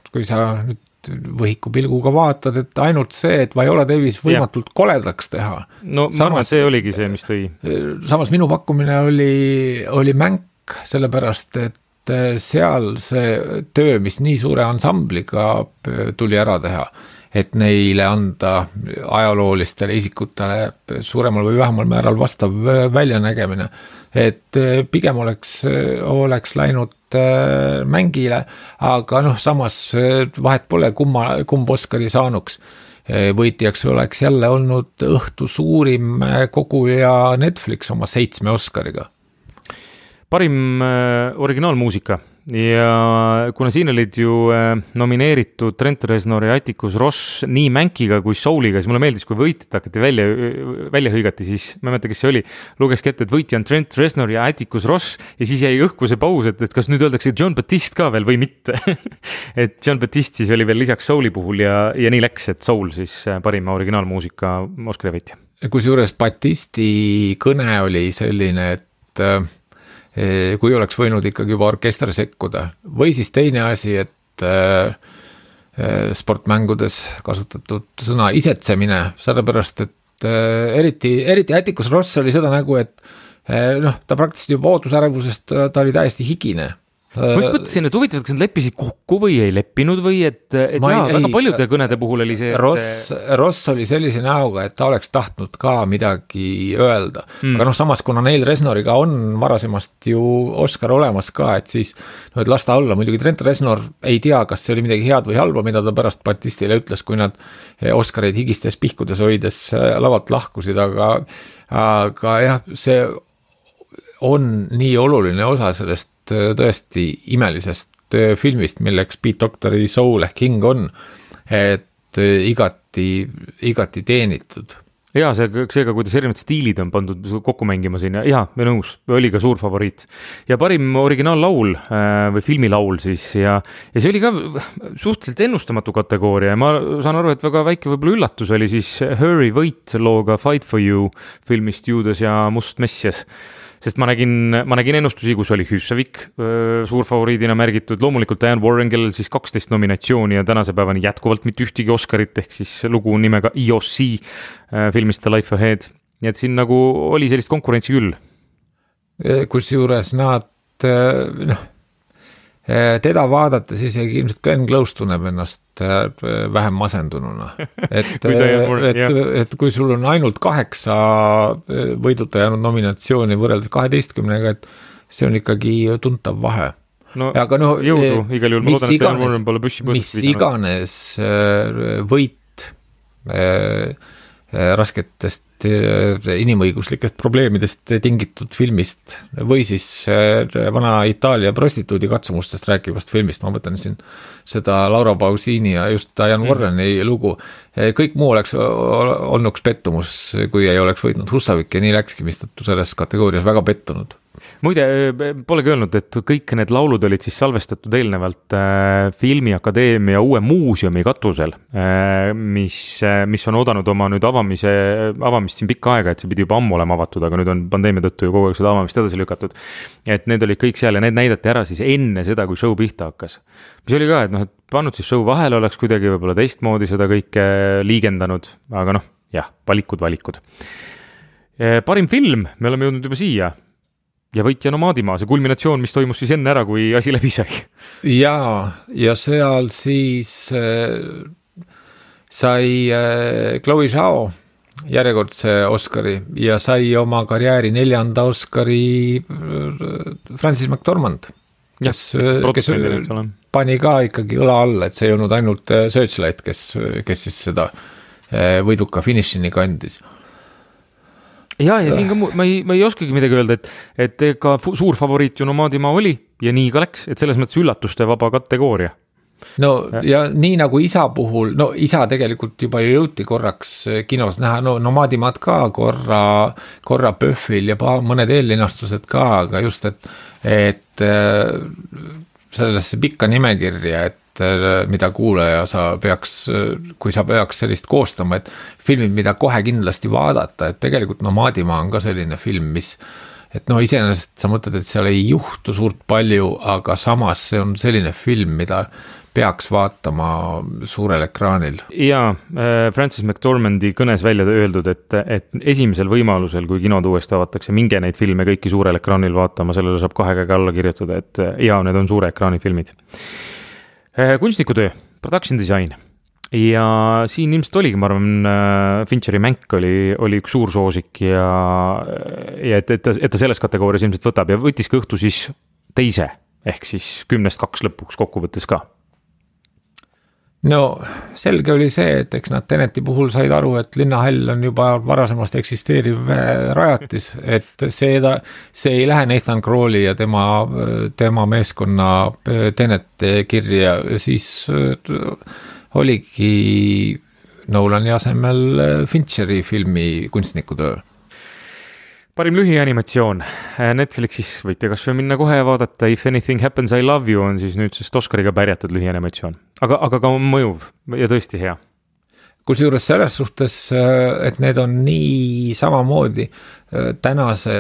kui sa nüüd võhiku pilguga vaatad, et ainult see, et Viola Davis võimatult koledaks teha. No samas, ma arvan, see oligi see, mis tõi. Samas minu pakkumine oli, oli Mänk, sellepärast, et seal see töö, mis nii suure ansambliga tuli ära teha, et neile anda ajaloolistele isikutele suuremal või vähemal määral vastav väljanägemine. Et pigem oleks, oleks läinud Mängile, aga noh, samas vahet pole kumma, kumb Oscari saanuks. Võitjaks oleks jälle olnud õhtu suurim koguja Netflix oma seitsme Oscariga. Parim originaalmuusika ja kuna siin olid ju nomineeritud Trent Reznor ja Atticus Ross nii Mänkiga kui Souliga, siis mulle meeldis, kui võitjad hakati välja, välja hõigati, siis ma ei mõtle, kes see oli, lugeski ette, et võitja on Trent Reznor ja Atticus Ross ja siis jäi õhku see paus, et, et kas nüüd öeldakse John Batiste ka veel või mitte. Et John Batiste siis oli veel lisaks Souli puhul ja, ja nii läks, et Soul siis parima originaalmuusika Oscari võitja. Kusjuures Batisti kõne oli selline, et kui oleks võinud ikkagi juba orkester sekkuda. Või siis teine asi, et sportmängudes kasutatud sõna isetsemine, sellepärast, et eriti, eriti Atticus Ross oli seda nägu, et noh, ta praktiliselt juba ootusärevusest, ta oli täiesti higine. ma just mõtlesin, et huvitav, kas nad leppisid kokku või ei leppinud või et, et jaa, väga paljude kõnede puhul oli see et... Ross, Ross oli sellise näoga, et ta oleks tahtnud ka midagi öelda mm. aga noh, samas kuna Neil Reznoriga on varasemast ju Oscar olemas ka, et siis no, et las ta olla, muidugi Trent Reznor ei tea, kas see oli midagi head või halba, mida ta pärast Batistile ütles, kui nad Oscareid higistes pihkudes hoides lavalt lahkusid, aga aga jah, see on nii oluline osa sellest tõesti imelisest filmist, milleks Pete Docteri Soul ehk hing on, et igati, igati teenitud. Jaa, see, seega, kuidas erinevad stiilid on pandud kokku mängima siin ja jaa, me nõus, oli ka suur favoriit. Ja parim originaallaul või filmilaul siis ja, ja see oli ka suhteliselt ennustamatu kategooria ja ma saan aru, et väga väike võib-olla üllatus oli siis Hurry Wait looga Fight for You filmist Juudas ja Must Messias. Sest ma nägin, ma nägin ennustusi, kus oli Hüssevik suur favoriidina märgitud, loomulikult Diane Warren, kellel siis kaksteist nominatsiooni ja tänase päevani jätkuvalt mitte ühtegi Oscarit, ehk siis lugu nimega E O C filmist The Life Ahead. Nii et siin nagu oli sellist konkurentsi küll. Kus juures nad, noh, teda vaadates isegi ilmselt Glenn Close tunneb ennast vähem masendununa. Et, et, et kui sul on ainult kaheksa võiduta jäänud nominatsiooni võrreldes kaheteistkümnega, et see on ikkagi tuntav vahe. No, aga no, jõudu, igal juhul ma loodan, et Diane Warren pole püssi mis iganes võit rasketest inimõiguslikest probleemidest tingitud filmist või siis vana Itaalia prostituudi katsumustest rääkivast filmist, ma mõtlen siin seda Laura Pausini ja just Diane Warreni mm. lugu. Kõik muu oleks olnuks pettumus, kui ei oleks võitnud Husavik ja nii läkski, mistõttu selles kategoorias väga pettunud. Muide, polegi öelnud, et kõik need laulud olid siis salvestatud eelnevalt äh, Filmiakadeemia uue muuseumi katusel, äh, mis, äh, mis on oodanud oma nüüd avamise, avamist siin pikka aega, et see pidi juba ammu olema avatud, aga nüüd on pandeemia tõttu ju kogu aeg seda avamist edasi lükatud. Et need olid kõik seal ja need näidati ära siis enne seda, kui show pihta hakkas. Mis oli ka, et noh, et pannud siis show vahele oleks kuidagi võib-olla teistmoodi seda kõike liigendanud, aga noh, jah, valikud, valikud. Parim film, me oleme jõudnud juba siia. Ja võitja Nomaadimaa, see kulminatsioon, mis toimus siis enne ära, kui asi läbi sai. Jaa, ja seal siis äh, sai äh, Chloe Zhao järjekordse Oscari ja sai oma karjääri neljanda Oscari äh, Francis McDormand, kes, ja, kes pani ka ikkagi õla all, et see ei olnud ainult Searchlight, kes, kes siis seda äh, võiduka finišini kandis. Ja, ja siin ka ma ei, ma ei oskagi midagi öelda, et, et ka suur favoriit ju Nomaadimaa oli ja nii ka läks, et selles mõttes üllatuste vaba kategooria. No ja, ja nii nagu isa puhul, no isa tegelikult juba jõuti korraks kinos näha, no Nomaadimaad ka korra, korra Pöhvil ja mõned eellinastused ka, aga just, et, et sellesse pikka nimekirja, et mida kuulaja sa peaks, kui sa peaks sellist koostama, et filmid, mida kohe kindlasti vaadata, et tegelikult Nomaadimaa on ka selline film, mis, et no iseenesest sa mõtled, et seal ei juhtu suurt palju, aga samas see on selline film, mida peaks vaatama suurel ekraanil. Ja Francis McDormandi kõnes välja öeldud, et, et esimesel võimalusel, kui kinod uuesti avatakse, minge neid filme kõiki suurel ekraanil vaatama, sellele saab kahe käega alla kirjutada, et ja need on suure ekraani filmid. Kunstnikutöö, production design ja siin ilmselt oligi, ma arvan, Fincheri Mänk oli, oli üks suur soosik ja, ja et, et, ta, et ta selles kategoorias ilmselt võtab ja võttis ka õhtu siis teise, ehk siis kümnest kaks lõpuks kokkuvõttes ka. No selge oli see, et eks nad Teneti puhul said aru, et linnahall on juba varasemast eksisteeriv rajatis, et see, see ei lähe Nathan Crowley ja tema, tema meeskonna Tenet kirja, siis oligi Nolani asemel Fincheri filmi Kunstnikutöö. Parim lühianimatsioon. Netflixis võite kas või minna kohe ja vaadata If Anything Happens I Love You on siis nüüd sest Oscariga pärjatud lühianimatsioon. Aga, aga ka mõjuv ja tõesti hea. Kusjuures selles suhtes, et need on nii samamoodi tänase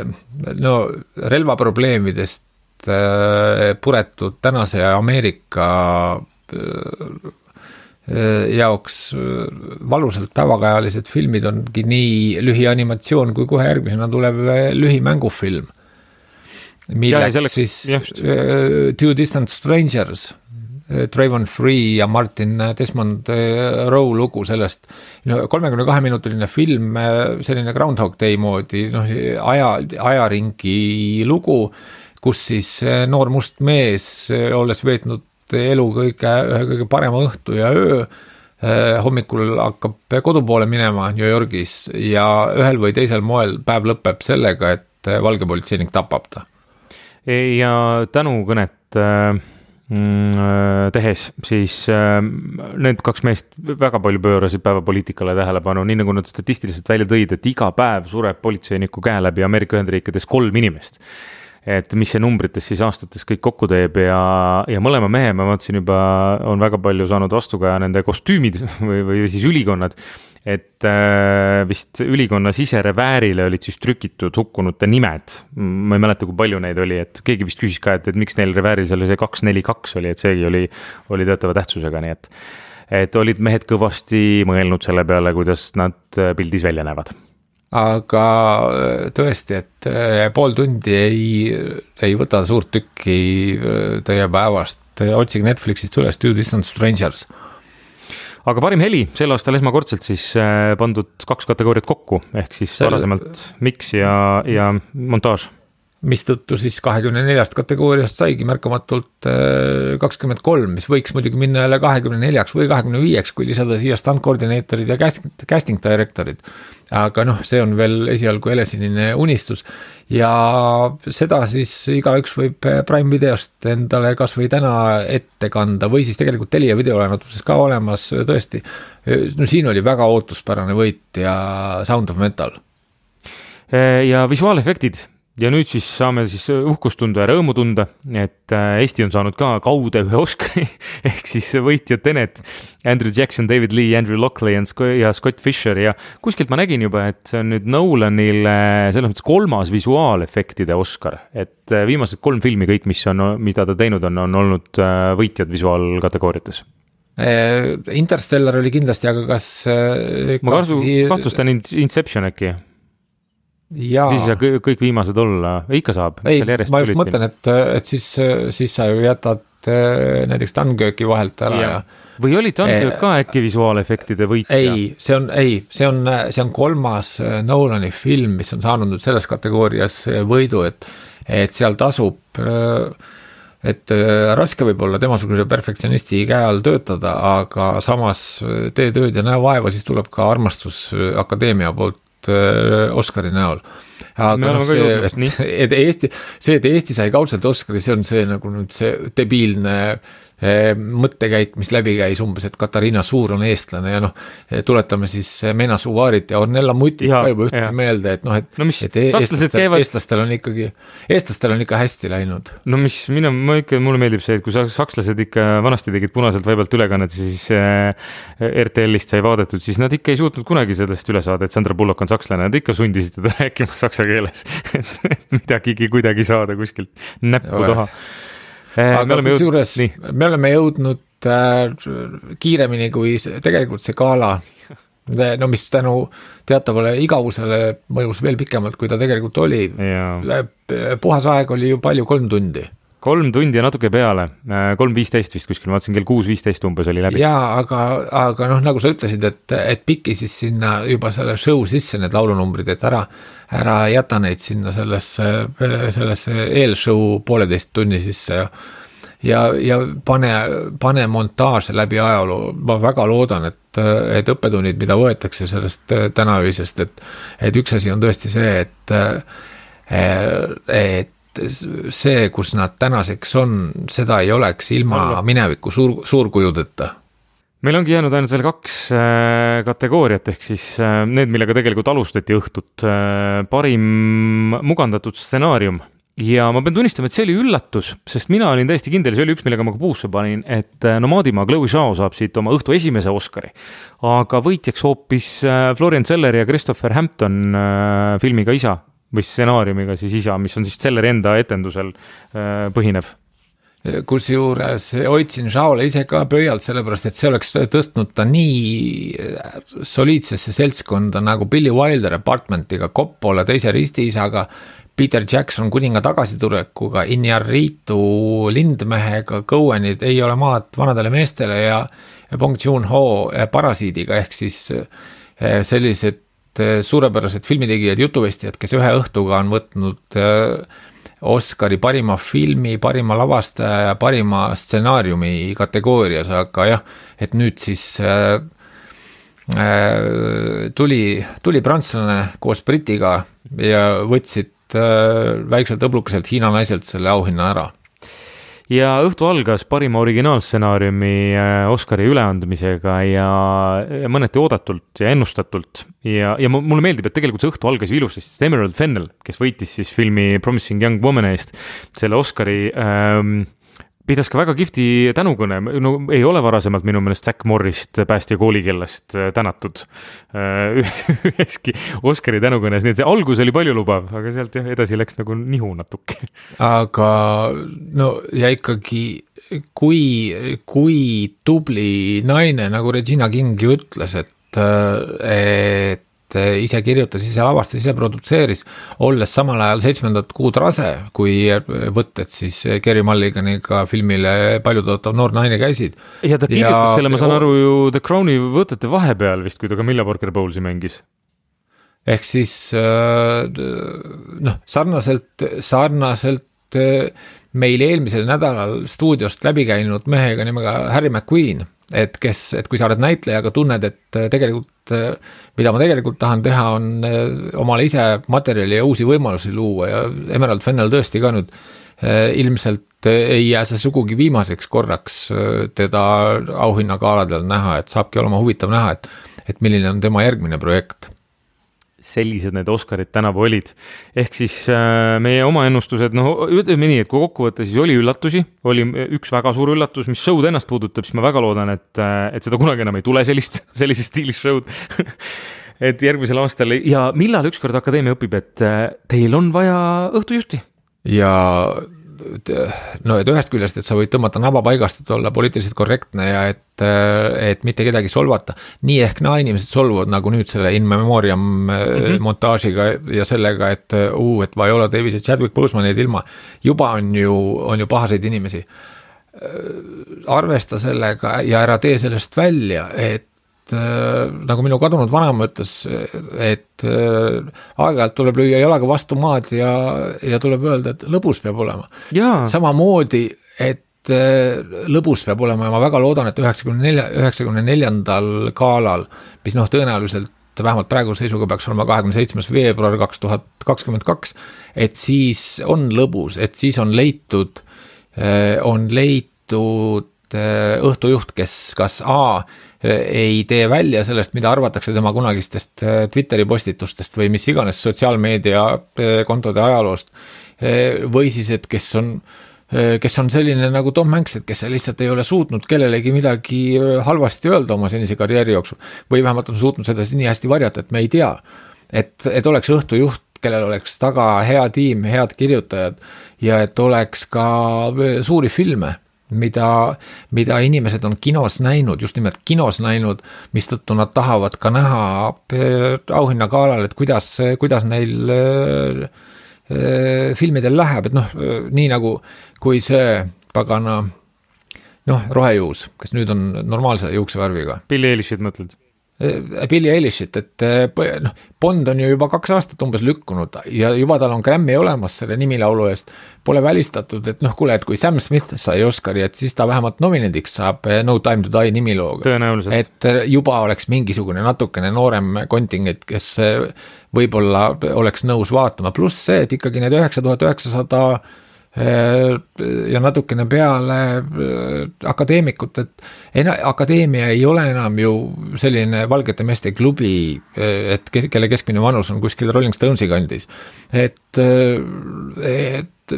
no, relvaprobleemidest puretud tänase Ameerika jaoks valusalt päevakajalised filmid ongi nii lühianimatsioon kui kohe järgmisena tulev lühimängufilm. milleks ja, selleks, siis uh, Two Distant Strangers, Trayvon Free ja Martin Desmond Rowe lugu sellest, no kolmekümne kahe minutiline film, selline Groundhog Day moodi, noh, aja, ajaringi lugu, kus siis noor must mees, olles veetnud elu kõige, kõige parema õhtu ja öö, hommikul hakkab kodu poole minema New Yorgis ja ühel või teisel moel päev lõpeb sellega, et valge politseinik tapab ta. Ja tänukõnet tehes, siis need kaks meest väga palju pöörasid päevapoliitikale tähelepanu, nii nagu nad statistiliselt välja tõid, et iga päev sureb politseiniku käe läbi Ameerika Ühendriikides kolm inimest. Et mis see numbrites siis aastates kõik kokku teeb ja, ja mõlema mehe, ma vaatasin juba, on väga palju saanud vastuga nende kostüümid või, või siis ülikonnad, et äh, vist ülikonna sisereväärile olid siis trükitud hukkunute nimed. Ma ei mäleta, kui palju neid oli, et keegi vist küsis ka, et, et miks neil revääril seal see kaks neli kaks oli, et seegi oli, oli teatava tähtsusega, nii et, et olid mehed kõvasti mõelnud selle peale, kuidas nad pildis välja näevad. Aga tõesti, et pool tundi ei, ei võta suurt tükki teie päevast, otsige Netflixist üles Two Distant Strangers. Aga parim heli, sel aastal esmakordselt siis pandud kaks kategooriat kokku, ehk siis Sel... varasemalt mix ja, ja montaaž. Mistõttu siis kahekümne neljast kategooriast saigi märkamatult kakskümmend kolm, mis võiks muidugi minna jälle kahekümne neljaks või kahekümne viieks, kui lisada siia stunt koordineetorid ja casting directorid. Aga noh, see on veel esialgu helesinine unistus ja seda siis igaüks võib Prime videost endale kas või täna ette kanda või siis tegelikult Telia videolaenutuses ka olemas tõesti. No siin oli väga ootuspärane võit ja Sound of Metal. Ja visuaalefektid. Ja nüüd siis saame siis uhkust tunda ja rõõmu tunda, et Eesti on saanud ka kaude ühe Oscari, ehk siis võitjad Tenet, Andrew Jackson, David Lee, Andrew Lockley ja Scott Fisher ja kuskilt ma nägin juba, et see on nüüd Nolanile selles mõttes kolmas visuaalefektide Oscar, et viimased kolm filmi kõik, mis on, mida ta teinud on, on olnud võitjad visuaalkategooriates. Interstellar oli kindlasti, aga kas... Ma kas... kahtlustan Inception äkki. Ja. Siis ei saa kõik viimased olla, ikka saab. Ei, ma just mõtlen, et, et siis, siis sa ju jätad näiteks Dunkirki vahelt ära ja, ja... või oli Dunkirk ka äkki visuaalefektide võitja? Ei, see on, ei, see on, see on kolmas Nolani film, mis on saanud nüüd selles kategoorias võidu, et, et seal tasub, et raske võib olla temasuguse perfektsionisti käe all töötada, aga samas tee tööd ja näe vaeva, siis tuleb ka armastus akadeemia poolt Oscari näol. Aga no, see, et, et Eesti, see, et Eesti sai kaudselt Oscari, see on see nagu nüüd see debiilne eh, mõttekäik, mis läbi käis umbes, et Katariina Suur on eestlane ja noh, tuletame siis Mena Suvaarit ja Ornella Mutit ka juba ühtse meelde, et noh, et, no, mis, et eestlastel, käivad... eestlastel on ikkagi, eestlastel on ikka hästi läinud. No mis, minu, ma ikka, mulle meeldib see, et kui sakslased ikka vanasti tegid punaselt vaibalt ülekannet, siis äh, R T L-ist sai vaadatud, siis nad ikka ei suutnud kunagi sellest üle saada, et Sandra Bullock on sakslane, nad ikka sundisid teda rääkima saksa keeles, et midagigi kuidagi saada kuskilt näppu taha. Aga me, kusjuures, jõud... me oleme jõudnud äh, kiiremini kui tegelikult see gala, no mis tänu teatavale igavusele mõjus veel pikemalt, kui ta tegelikult oli. Ja. Puhas aeg oli ju palju kolm tundi. Kolm tundi ja natuke peale, kolm viisteist vist kuskil, ma vaatasin kell kuus viisteist umbes oli läbi. Jaa, aga, aga noh, nagu sa ütlesid, et, et piki siis sinna juba selle show sisse need laulunumbrid, et ära, ära jäta neid sinna sellesse, sellesse eelshow pooleteist tunni sisse ja, ja, ja pane, pane montaaže läbi ajaloo. Ma väga loodan, et, et õppetunnid, mida võetakse sellest tänaöisest, et, et üks asi on tõesti see, et, et see, kus nad tänaseks on, seda ei oleks ilma mineviku suur, suurkujudeta. Meil ongi jäänud ainult veel kaks äh, kategooriat, ehk siis äh, need, millega tegelikult alustati õhtut. Äh, parim mugandatud stsenaarium. Ja ma pean tunnistama, et see oli üllatus, sest mina olin täiesti kindel, see oli üks, millega ma ka puusse panin, et äh, Nomaadimaa Chloe Zhao saab siit oma õhtu esimese Oscari. Aga võitjaks hoopis äh, Florian Zeller ja Christopher Hampton äh, filmiga Isa või stsenaariumiga siis Isa, mis on siis Zelleri enda etendusel äh, põhinev. Kusjuures hoidsin Zhaole ise ka pöialt, sellepärast, et see oleks tõstnud ta nii soliidsesse seltskonda nagu Billy Wilder Apartmentiga, Coppola teise ristiisaga, Peter Jackson kuninga tagasitulekuga, Iñárritu lindmehega, Coenid Ei ole maad vanadele meestele ja Bong Joon-ho Parasiidiga, ehk siis sellised suurepärased filmitegijad, jutuvestijad, kes ühe õhtuga on võtnud Oscari parima filmi, parima lavastaja ja parima stsenaariumi kategoorias, aga jah, et nüüd siis äh, tuli, tuli prantslane koos Britiga ja võtsid äh, väikselt õblukeselt Hiina naiselt selle auhinna ära. Ja õhtu algas parima originaalstsenaariumi Oscari üleandmisega ja, ja mõneti oodatult ja ennustatult. Ja, ja mulle meeldib, et tegelikult see õhtu algas ilusti, sest Emerald Fennell, kes võitis siis filmi Promising Young Woman eest selle Oscari, ähm, pidas ka väga kihvti tänukõne, no ei ole varasemalt minu meelest Zack Morrist päästja koolikellast tänatud üheski Oscari tänukõnes, nii et see algus oli palju lubav, aga sealt jah, edasi läks nagu nihu natuke. Aga no ja ikkagi, kui, kui tubli naine, nagu Regina King ju ütles, et, et ise kirjutas, ise lavastas, ise produtseeris, olles samal ajal seitsmendat kuud rase, kui võtted siis Kerry Mulliganiga filmile paljutootav noor naine käisid. Ja ta kirjutas ja, selle, ma saan aru ju The Crowni võtete vahepeal vist, kui ta Camilla Parker Bowlesi mängis. Ehk siis noh, sarnaselt, sarnaselt meil eelmisel nädalal stuudiost läbi käinud mehega nimega Harry McQueen, et kes, et kui sa oled näitlejaga, tunned, et tegelikult, mida ma tegelikult tahan teha, on omale ise materjali ja uusi võimalusi luua ja Emerald Fennell tõesti ka nüüd ilmselt ei jää see sugugi viimaseks korraks teda auhinnagaaladel näha, et saabki olema huvitav näha, et, et milline on tema järgmine projekt. Sellised need Oscarid tänavu olid. Ehk siis äh, meie oma ennustused, no ütleme nii, et kui kokku võtta, siis oli üllatusi, oli üks väga suur üllatus, mis show'd ennast puudutab, siis ma väga loodan, et, et seda kunagi enam ei tule sellist, sellist stiilis show'd. Et järgmisel aastal ja millal ükskord akadeemia õpib, et teil on vaja õhtujuhti? Ja no, et ühest küljest, et sa võid tõmmata naba paigast, et olla poliitiliselt korrektne ja et, et mitte kedagi solvata. Nii ehk naa inimesed solvuvad nagu nüüd selle in memoriam mm-hmm. montaažiga ja sellega, et uu, et Viola Davis ja Chadwick Bosemanid ilma. Juba on ju, on ju pahaseid inimesi. Arvesta sellega ja ära tee sellest välja, et nagu minu kadunud vanaema ütles, et aeg-ajalt tuleb lüüa jalaga vastu maad ja, ja tuleb öelda, et lõbus peab olema. Jaa. Samamoodi, et lõbus peab olema ja ma väga loodan, et üheksakümne neljandal gaalal, mis noh tõenäoliselt vähemalt praegu seisuga peaks olema kahekümne seitsmes veebruar kaks tuhat kakskümmend kaks, et siis on lõbus, et siis on leitud, on leitud õhtujuht, kes kas A ei tee välja sellest, mida arvatakse tema kunagistest Twitteri postitustest või mis iganes sotsiaalmeedia kontode ajaloost, või siis, et kes on, kes on selline nagu Tom Hanks, et kes lihtsalt ei ole suutnud kellelegi midagi halvasti öelda oma senise karjääri jooksul, või vähemalt on suutnud seda nii hästi varjata, et me ei tea, et, et oleks õhtujuht, kellel oleks taga hea tiim, head kirjutajad ja et oleks ka suuri filme, mida, mida inimesed on kinos näinud, just nimelt kinos näinud, mistõttu nad tahavad ka näha auhinnagaalal, et kuidas, kuidas neil filmidel läheb, et noh, nii nagu kui see pagana, noh, rohejuus, kes nüüd on normaalse juuksevärviga. Billie Eilishit mõtled? Billie Eilishit, et noh, Bond on ju juba kaks aastat umbes lükkunud ja juba tal on Grammy olemas selle nimilaulu eest, pole välistatud, et noh, kuule, et kui Sam Smith sai Oscari, et siis ta vähemalt nominendiks saab No Time to Die nimilooga. Tõenäoliselt. Et juba oleks mingisugune natukene noorem kontingent, kes võib-olla oleks nõus vaatama, pluss see, et ikkagi need üheksa tuhat üheksasada ja natukene peale akadeemikut, et ena, akadeemia ei ole enam ju selline valgete meeste klubi, et kelle keskmine vanus on kuskil Rolling Stonesi kandis, et, et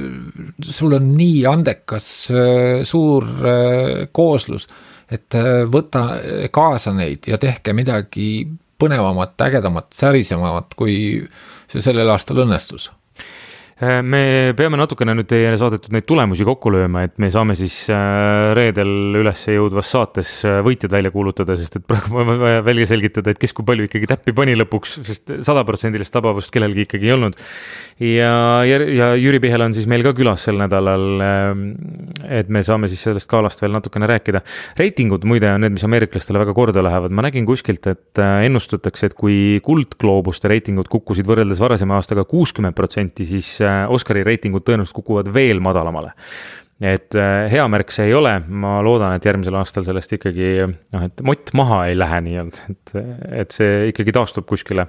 sul on nii andekas suur kooslus, et võta kaasa neid ja tehke midagi põnevamat, ägedamat, särisemamat, kui see sellel aastal õnnestus. me peame natukene nüüd teie saadetud neid tulemusi kokku lööma, et me saame siis reedel üles jõudvas saates võitjad välja kuulutada, sest et praegu on vaja välja selgitada, et kes kui palju ikkagi täppi pani lõpuks, sest sada protsendilist tabavust kellelgi ikkagi ei olnud. Ja, ja, ja Jüri Pihel on siis meil ka külas sel nädalal, et me saame siis sellest kaalast veel natukene rääkida. Reitingud muide on need, mis ameeriklastele väga korda lähevad. Ma nägin kuskilt, et ennustatakse, et kui kuldgloobuste reitingud kukkusid võrreldes varasema aastaga kuuskümmend protsenti, siis Oscari reitingud tõenäoliselt kukuvad veel madalamale. Et hea märk see ei ole, ma loodan, et järgmisel aastal sellest ikkagi, noh, et mott maha ei lähe nii olnud, et, et see ikkagi taastub kuskile.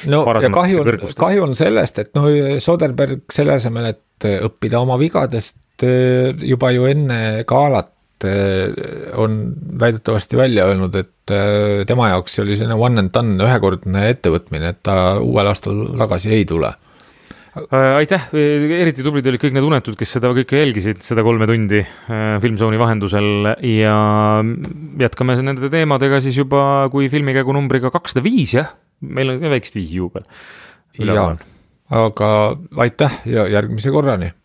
No ja kahju on, kahju on sellest, et no Soderberg selle asemel, et õppida oma vigadest juba ju enne gaalat on väidetavasti välja öelnud, et tema jaoks oli selline one and done ühekordne ettevõtmine, et ta uuel aastal tagasi ei tule. Aitäh, eriti tublid olid kõik need unetud, kes seda kõike jälgisid, seda kolme tundi Filmzooni vahendusel ja jätkame nende teemadega siis juba kui filmikäigu numbriga kakssada viis, jah? Meil on väikest viisi juubel. Jaa, aga aitäh ja järgmise korrani.